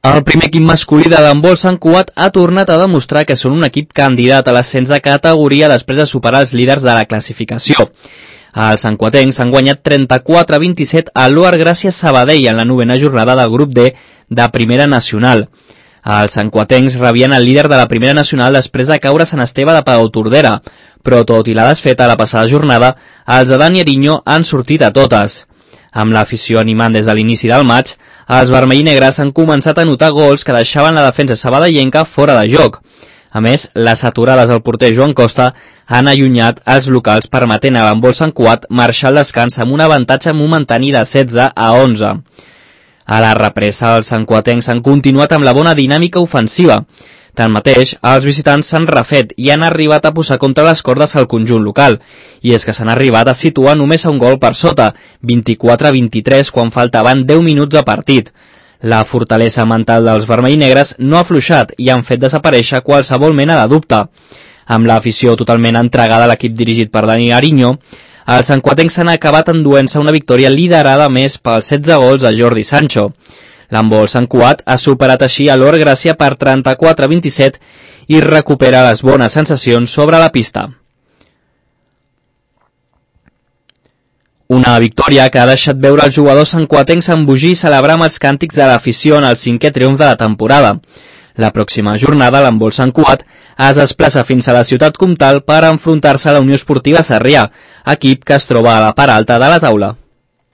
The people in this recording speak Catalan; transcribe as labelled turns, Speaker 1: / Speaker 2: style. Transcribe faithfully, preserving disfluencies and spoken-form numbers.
Speaker 1: El primer equip masculí de handbol Sant Cugat ha tornat a demostrar que són un equip candidat a l'ascens de categoria després de superar els líders de la classificació. Els santcuatencs han guanyat trenta-quatre a vint-i-set a l'Oar Gràcia Sabadell en la novena jornada del grup D de Primera Nacional. Els santcuatencs rebien el líder de la Primera Nacional després de caure a Sant Esteve de Palautordera, però tot i la desfeta la passada jornada, els de Dani Ariño han sortit a totes. Amb l'afició animant des de l'inici del maig, els vermell i negres han començat a notar gols que deixaven la defensa sabadellenca fora de joc. A més, les aturades del porter Joan Costa han allunyat els locals permetent a l'handbol Sant Cugat marxar al descans amb un avantatge momentani de setze a onze. A la represa, els santcuatencs han continuat amb la bona dinàmica ofensiva. Tanmateix, els visitants s'han refet i han arribat a posar contra les cordes al conjunt local, i és que s'han arribat a situar només a un gol per sota, vint-i-quatre a vint-i-tres, quan faltaven deu minuts de partit. La fortalesa mental dels vermell i negres no ha afluixat i han fet desaparèixer qualsevol mena de dubte. Amb l'afició totalment entregada a l'equip dirigit per Dani Ariño, els santcuatencs s'han acabat enduent-se una victòria liderada més pels setze gols de Jordi Sancho. L'handbol Sant Cugat ha superat així a l'Oar Gràcia per trenta-quatre a vint-i-set i recupera les bones sensacions sobre la pista. Una victòria que ha deixat veure els jugadors santcuatencs embogir i celebrar amb els càntics de l'afició en el cinquè triomf de la temporada. La pròxima jornada l'handbol Sant Cugat es desplaça fins a la ciutat comtal per enfrontar-se a la Unió Esportiva Sarrià, equip que es troba a la part alta de la taula.